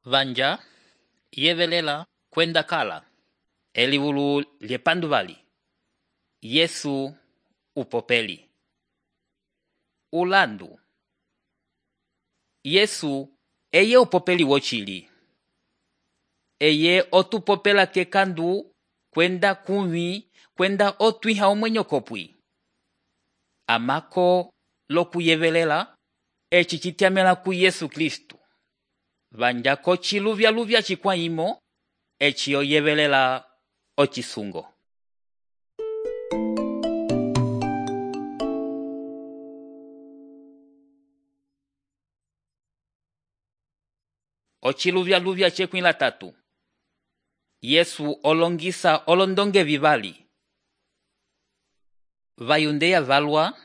Vanja yevelela kwenda kala eliwulu lyepanduvali Yesu upopeli. Ulandu Yesu eye upopeli wochili. Eye otupopela kekandu kwenda kunwi kwenda otwiha omwenyo kopwi. Amako lokuyevelela eci citiamela ku Yesu Kristu. Vanja ko chiluvya chikwaimo eci oyevelela ochisungo. Ochiluvya chekwila tatu. Yesu olongisa olondonge vivali. Vayundeya valwa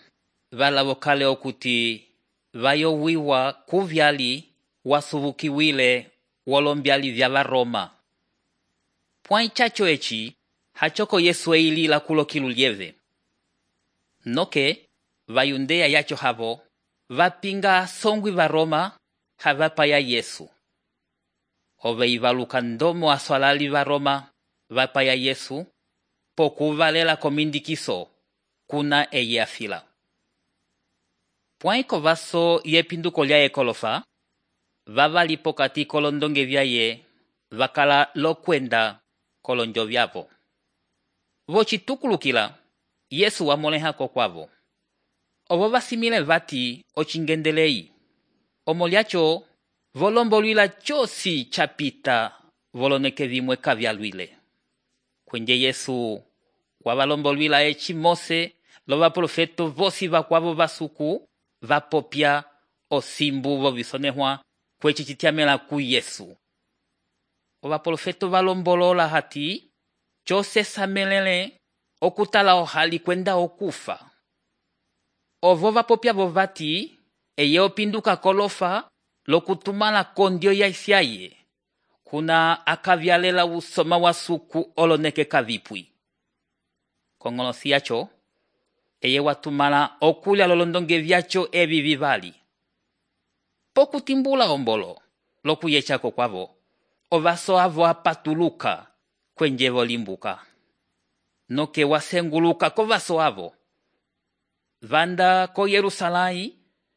valavokale okuti vayowiwa kuvyali wasuvukiwile wolombyali vya Varoma. Pwai chacho eci hachoko Yesu eilila kulokilu lieve. Noke vayundeya yacho havo vapinga songwi Varoma havapaya Yesu. Ove ivaluka ndomo aswalali Varoma vapaya Yesu pokuvalela komindikiso kuna eye afila. Pwaiko vaso yepinduko lya ekolofa vavali pokati kolondonge vyaye vakala lokwenda kolonjo vyavo. Vochitukulukila Yesu wamolehako kwavo. Ovo vasimile vati ochingendelei. Omolyacho volombolwila chosi chapita voloneke vimwe kavyalwile. Kwenye Yesu wavalombolwila eci Mose lo vaprofeto vosi vakwavo vasuku vapopya osimbu vovisonehwa kwechi chitiamela ku Yesu. Ovaprofeto valombolola hati chose samelele okutala ohali kwenda okufa. Ovo vapopya vovati eye opinduka kolofa lokutumala kondio ya isyaye kuna akavyalela usoma wasuku oloneke kavipwi. Kongolosi yacho eye watumala okulya lolondonge vyacho evi vivali. Pokutimbula ombolo lokuyechako kwavo ovaso avo apatuluka kwenje volimbuka. Noke wasenguluka kovaso avo. Vanda ko Yerusalai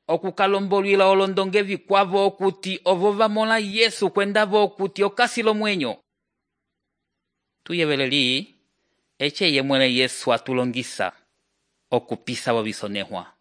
okukalombolwila olondonge vikwavo okuti ovo vamola Yesu kwendavo okuti okasilo mwenyo. Tuyeveleli eche yemwele Yesu atulongisa okupisa vovisonehwa.